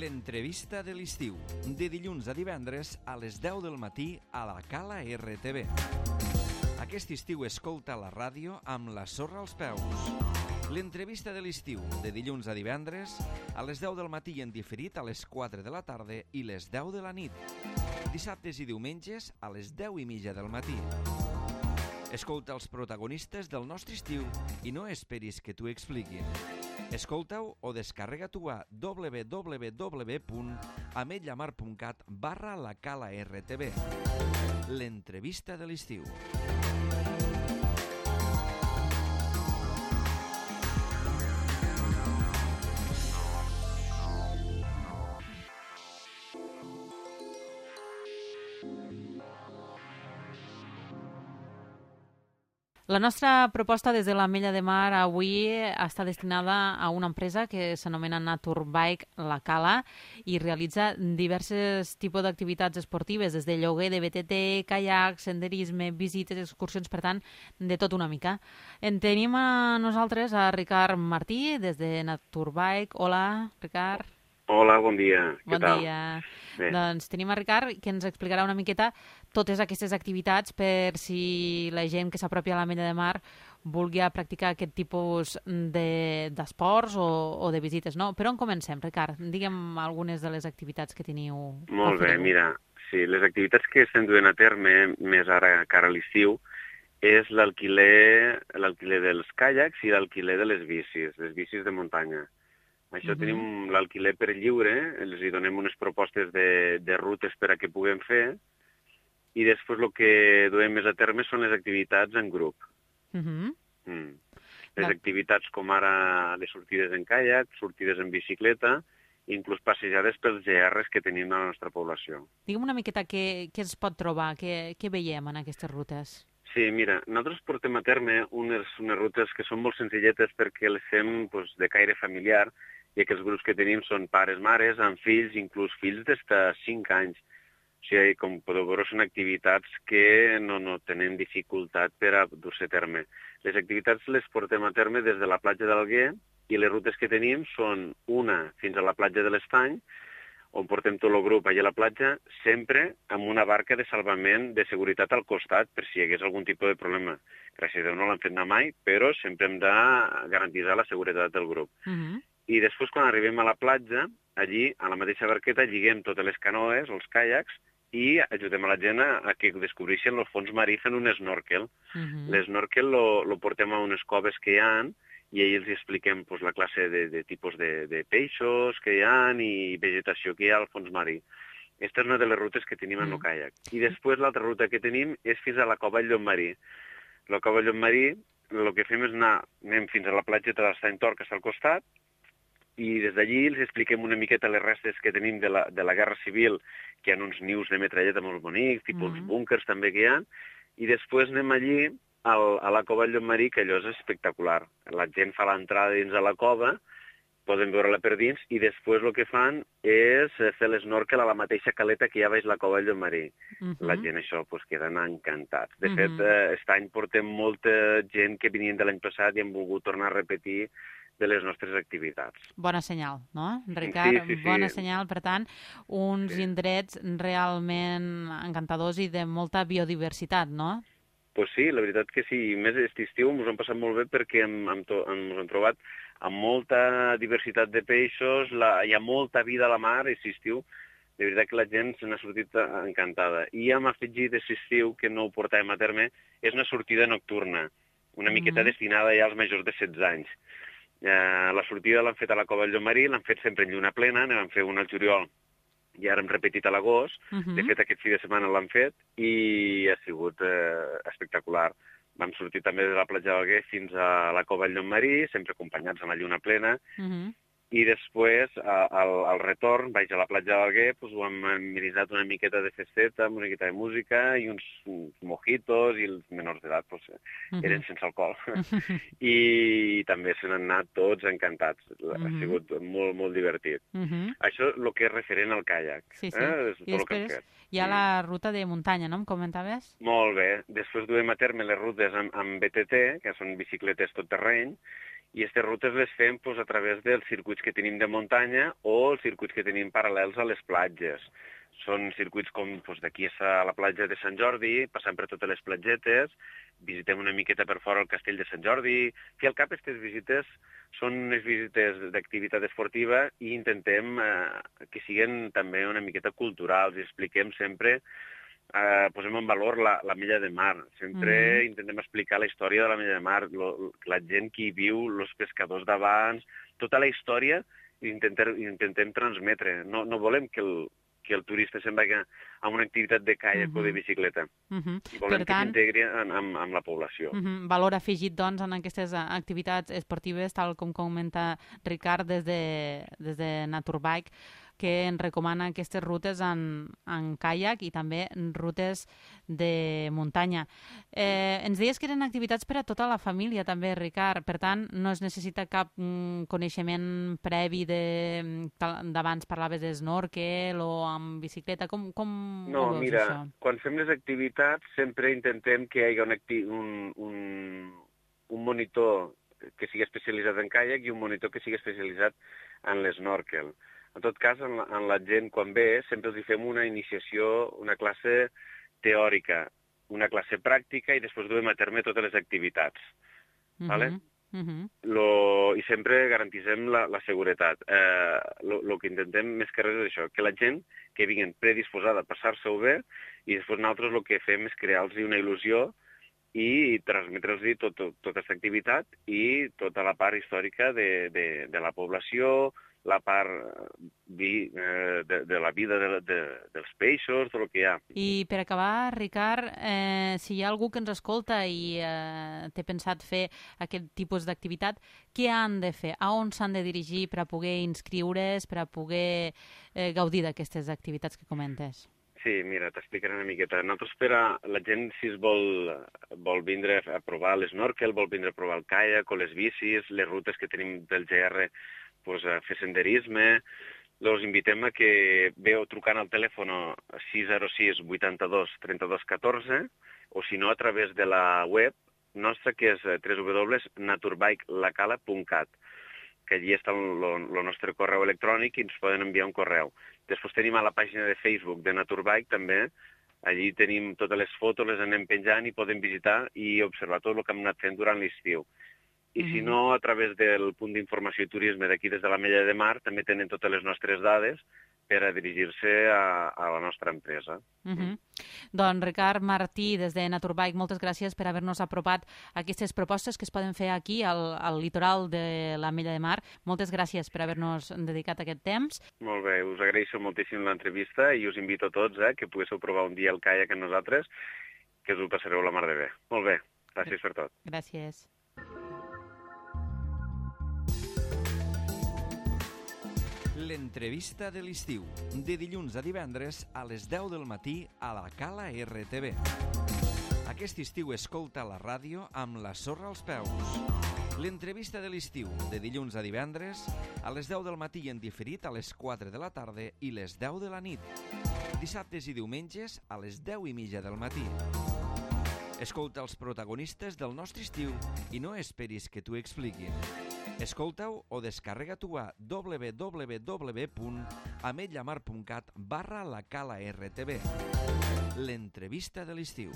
L'entrevista de l'estiu, de dilluns a divendres a les 10 del matí a la Cala RTV. Aquest estiu escolta la ràdio amb la sorra als peus. L'entrevista de l'estiu, de dilluns a divendres a les 10 del matí i en diferit a les 4 de la tarda i les 10 de la nit. Dissabtes i diumenges a les 10:30 del matí. Escolta els protagonistes del nostre estiu i no esperis que t'ho expliquin. Escolta-ho o descarrega-t'ho a www.ametlllamar.cat/la Cala RTV. L'entrevista de l'estiu. La nostra proposta des de l'Ametlla de Mar avui està destinada a una empresa que s'anomena Naturbike La Cala i realitza diversos tipus d'activitats esportives, des de lloguer de BTT, caiac, senderisme, visites, excursions, per tant, de tot una mica. En tenim a nosaltres a Ricard Martí, des de Naturbike. Hola, Ricard. Hola, bon dia. Què tal? Bon dia. Bé. Doncs tenim a Ricard, que ens explicarà una miqueta totes aquestes activitats per si la gent que s'apropia a l'Ametlla de Mar vulgui practicar aquest tipus d'esports o de visites, no? Per on comencem, Ricard? Digue'm algunes de les activitats que teniu. Molt bé, mira, sí, les activitats que estem duent a terme, més ara cara a l'estiu, és l'alquiler dels caiacs i l'alquiler de les bicis de muntanya. Això tenim l'alquiler per lliure, els hi donem unes propostes de rutes per a que puguem fer, i després el que duem més a terme són les activitats en grup. Les activitats com ara les sortides en caiac, sortides en bicicleta, inclús passejades pels GRs que tenim a la nostra població. Digue'm una miqueta què es pot trobar, què veiem en aquestes rutes. Sí, mira, nosaltres portem a terme unes rutes que són molt senzilletes perquè les fem de caire familiar, i que els grups que tenim són pares, mares, amb fills, inclús fills des de 5 anys. O sigui, com podeu veure, són activitats que no tenen dificultat per a dur-se a terme. Les activitats les portem a terme des de la platja d'Alguer i les rutes que tenim són una fins a la platja de l'Estany, on portem tot el grup allà a la platja, sempre amb una barca de salvament de seguretat al costat, per si hi hagués algun tipus de problema. Gràcies a Déu no l'han fet anar mai, però sempre hem de garantir la seguretat del grup. I després, quan arribem a la platja, allí, a la mateixa barqueta, lliguem totes les canoes, els caiacs, i ajudem a la gent a que descobreixen el fons marí fent un snorkel. L'esnorkel lo portem a unes coves que hi ha, i ahir els expliquem la classe de tipus de peixos que hi ha i vegetació que hi ha al fons marí. Aquesta és una de les rutes que tenim en el caiac. I després l'altra ruta que tenim és fins a la cova del Llopmarí. La cova del Llopmarí, el que fem és anem fins a la platgeta de l'Estany Tor, que està al costat, i des d'allí els expliquem una miqueta les restes que tenim de la Guerra Civil, que hi ha uns nius de metralleta molt bonics, tipus búnkers també que hi ha, i després anem allí a la cova del Llopmarí, que allò és espectacular. La gent fa l'entrada dins a la cova, poden veure-la per dins, i després el que fan és fer l'esnorkel a la mateixa caleta que hi ha baix la cova del Llopmarí. La gent això queden encantats. De fet, aquest any portem molta gent que venien de l'any passat i han volgut tornar a repetir de les nostres activitats. Bona senyal, no, Ricard? Sí. Bona senyal, per tant, uns indrets realment encantadors i de molta biodiversitat, no? Pues sí, la veritat que sí. Més aquest estiu ens ho hem passat molt bé perquè ens hem trobat amb molta diversitat de peixos, hi ha molta vida a la mar aquest estiu. De veritat que la gent se n'ha sortit encantada. I hem afegit aquest estiu, que no ho portàvem a terme, és una sortida nocturna, una miqueta destinada ja als majors de 16 anys. La sortida l'han fet a la cova del Llopmarí, l'han fet sempre en lluna plena, ne vam fer una al juliol i ara hem repetit a l'agost. De fet, aquest fi de setmana l'han fet i ha sigut espectacular. Vam sortir també de la platja d'Alguer fins a la cova del Llopmarí, sempre acompanyats amb la lluna plena, i després, al retorn, baix a la platja d'Alguer, ho hem amenitzat una miqueta de festeta, una miqueta de música i uns mojitos, i els menors d'edat eren sense alcohol. I també se n'han anat tots encantats. Ha sigut molt, molt divertit. Això és el que és referent al caiac. Sí. I després hi ha la ruta de muntanya, no? Em comentaves? Molt bé. Després duem a terme les rutes amb BTT, que són bicicletes tot terreny, i aquestes rutes les fem a través dels circuits que tenim de muntanya o els circuits que tenim paral·lels a les platges. Són circuits com d'aquí a la platja de Sant Jordi, passant per totes les platgetes, visitem una miqueta per fora el castell de Sant Jordi, que al cap aquestes visites són unes visites d'activitat esportiva i intentem que siguin també una miqueta culturals i expliquem sempre, posem en valor la Mella de Mar. Sempre intentem explicar la història de la Mella de Mar, la gent que hi viu, els pescadors d'abans, tota la història intentem transmetre. No volem que el turista se'n vagi a una activitat de caiac o de bicicleta. Volem que s'integri amb la població. Valor afegit, doncs, en aquestes activitats esportives, tal com comenta Ricard des de Naturbike, que ens recomana aquestes rutes en caiac i també rutes de muntanya. Ens deies que eren activitats per a tota la família, també, Ricard. Per tant, no es necessita cap coneixement previ d'abans parlaves de snorkel o amb bicicleta. Com no, ho veus, mira, això? Quan fem les activitats sempre intentem que hi hagi un monitor que sigui especialitzat en caiac i un monitor que sigui especialitzat en l'esnorkel. En tot cas, en la gent, quan ve, sempre els fem una iniciació, una classe teòrica, una classe pràctica i després duem a terme totes les activitats. Vale? I sempre garantisem la seguretat. El que intentem més que res és això, que la gent que vingui predisposada a passar-se-ho bé i després nosaltres el que fem és crear-los una il·lusió i transmetre'ls tota aquesta activitat i tota la part històrica de la població, la part de la vida dels peixos, tot el que hi ha. I per acabar, Ricard, si hi ha algú que ens escolta i té pensat fer aquest tipus d'activitat, què han de fer? A on s'han de dirigir per a poder inscriure's, per a poder gaudir d'aquestes activitats que comentes? Sí, mira, t'explicaré una miqueta. Nosaltres per a la gent, si es vol vindre a provar l'esnorkel, vol vindre a provar el caiac o les bicis, les rutes que tenim del GR, a fer senderisme, els invitem a que veu trucant al telèfon 606 82 32 14 o si no a través de la web nostra que és www.naturbikelacala.cat, que allí està el nostre correu electrònic i ens poden enviar un correu. Després tenim a la pàgina de Facebook de Naturbike també, allí tenim totes les fotos, les anem penjant i podem visitar i observar tot el que hem anat fent durant l'estiu. I si no, a través del punt d'informació i turisme d'aquí des de la Mella de Mar també tenen totes les nostres dades per a dirigir-se a la nostra empresa. Doncs Ricard Martí, des de Naturbike, moltes gràcies per haver-nos apropat aquestes propostes que es poden fer aquí al litoral de la Mella de Mar. Moltes gràcies per haver-nos dedicat aquest temps. Molt bé, us agraeixo moltíssim l'entrevista i us invito a tots que poguéssiu provar un dia el caiac amb nosaltres, que us ho passareu la mar de bé. Molt bé, gràcies per tot. Gràcies. L'entrevista de l'estiu, de dilluns a divendres a les 10 del matí a la Cala RTV. Aquest estiu escolta la ràdio amb la sorra als peus. L'entrevista de l'estiu, de dilluns a divendres a les 10 del matí i en diferit a les 4 de la tarda i les 10 de la nit. Dissabtes i diumenges a les 10:30 del matí. Escolta els protagonistes del nostre estiu i no esperis que t'ho expliquin. Escolta-ho o descarrega-t'ho a www.ametlllamar.cat/la Cala RTV. L'entrevista de l'estiu.